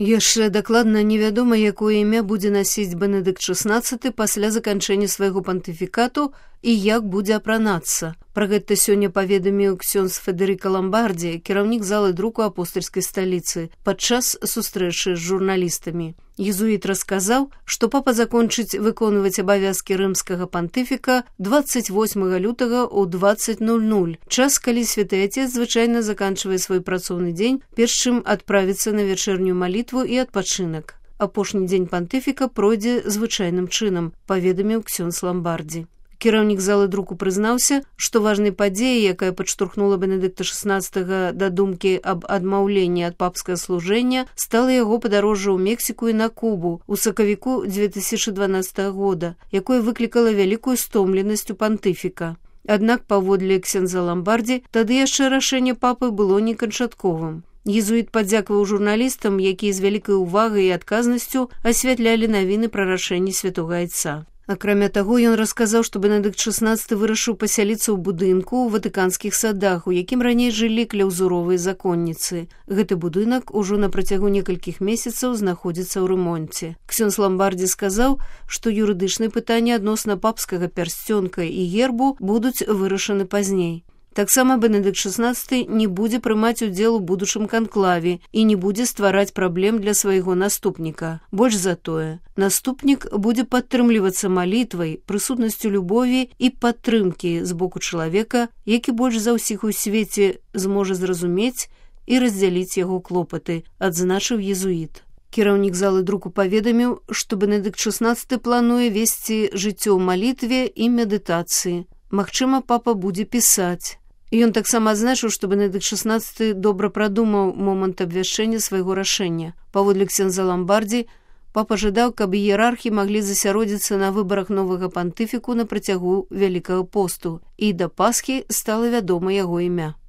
Яшчэ дакладна невядома, якое імя будзе насіць Бенедыкт XVI пасля заканчэння свайго пантыфікату і як будзе апранацца. Пра гэта сёння паведаміў ксёндз Федэрыка Ламбардзі, кіраўнік залы друку апостальскай сталіцы, падчас сустрэчы з журналістамі. Езуіт расказаў, што папа закончыць выконваць абавязкі рымскага пантыфіка 28 лютага ў 20:00, час, калі святы Отец звычайна заканчвае свой працоўны дзень, перш чым адправіцца на вячэрнюю малітву і адпачынак. Апошні дзень пантыфіка пройдзе звычайным чынам, паведаміў ксёндз Ламбардзі. Кіраўнік залы друку прызнаўся, што важнай падзеяй, якая падштурхнула Бенедыкта XVI да думкі аб адмаўленні ад папскага служэння, стала яго падарожжа ў Мексіку і на Кубу ў сакавіку 2012 года, якое выклікала вялікую стомленасць у пантыфіка. Аднак, паводле ксёндза Ламбардзі, тады яшчэ рашэнне папы было неканчатковым. Езуіт падзякаваў журналістам, якія з вялікай увагай і адказнасцю асвятлялі навіны пра рашэнне святога Айца. Акрамя таго, ён расказаў, што Бенедыкт XVI вырашыў пасяліцца ў будынку ў ватыканскіх садах, у якім раней жылі кляўзуровыя законніцы. Гэты будынак ужо на працягу некалькіх месяцаў знаходзіцца ў рамонце. Ксёндз Ламбардзі сказаў, што юрыдычныя пытанні адносна папскага пярсцёнка і гербу будуць вырашаны пазней. Таксама Бенедыкт XVI не будзе прымаць удзел у будучым канклаве і не будзе ствараць праблем для свайго наступніка. Больш за тое, наступнік будзе падтрымлівацца малітвай, прысутнасцю любові і падтрымкі з боку чалавека, які больш за ўсіх у свеце зможа зразумець і раздзяліць яго клопаты, адзначыў езуіт. Кіраўнік залы друку паведаміў, што Бенедыкт XVI плануе весці жыццё ў малітве і медытацыі. Магчыма, папа будзе пісаць. Ён таксама адзначыў, што Бенедыкт XVI добра прадумаў момант абвяшчэння свайго рашэння. Паводле ксёндза Ламбардзі, папа жадаў, каб іерархі маглі засяродзіцца на выбарах новага пантыфіку на працягу Вялікага посту, і да Пасхі стала вядома яго імя.